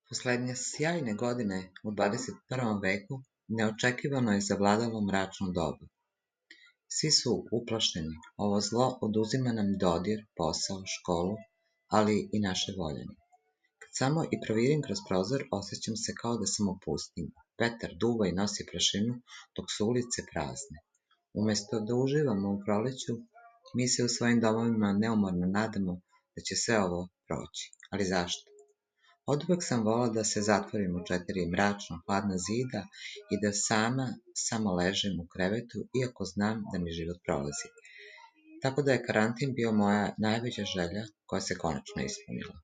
Poslednje sjajne godine u 21. veku neočekivano je zavladalo mračno doba. Svi su uplašeni, ovo zlo oduzima nam dodir, posao, školu, ali i naše voljene. Kad samo i provirim kroz prozor, osjećam se kao da sam u pustinji. Vetar duva i nosi prašinu, dok su ulice prazne. Umesto da uživamo u proleću, mi se u svojim domovima neumorno nadamo da će sve ovo proći. Ali zašto? Oduvek sam volela da se zatvorim u 4 mračno hladna zida i da samo ležem u krevetu, iako znam da mi život prolazi. Tako da je karantin bio moja najveća želja koja se konačno ispunila.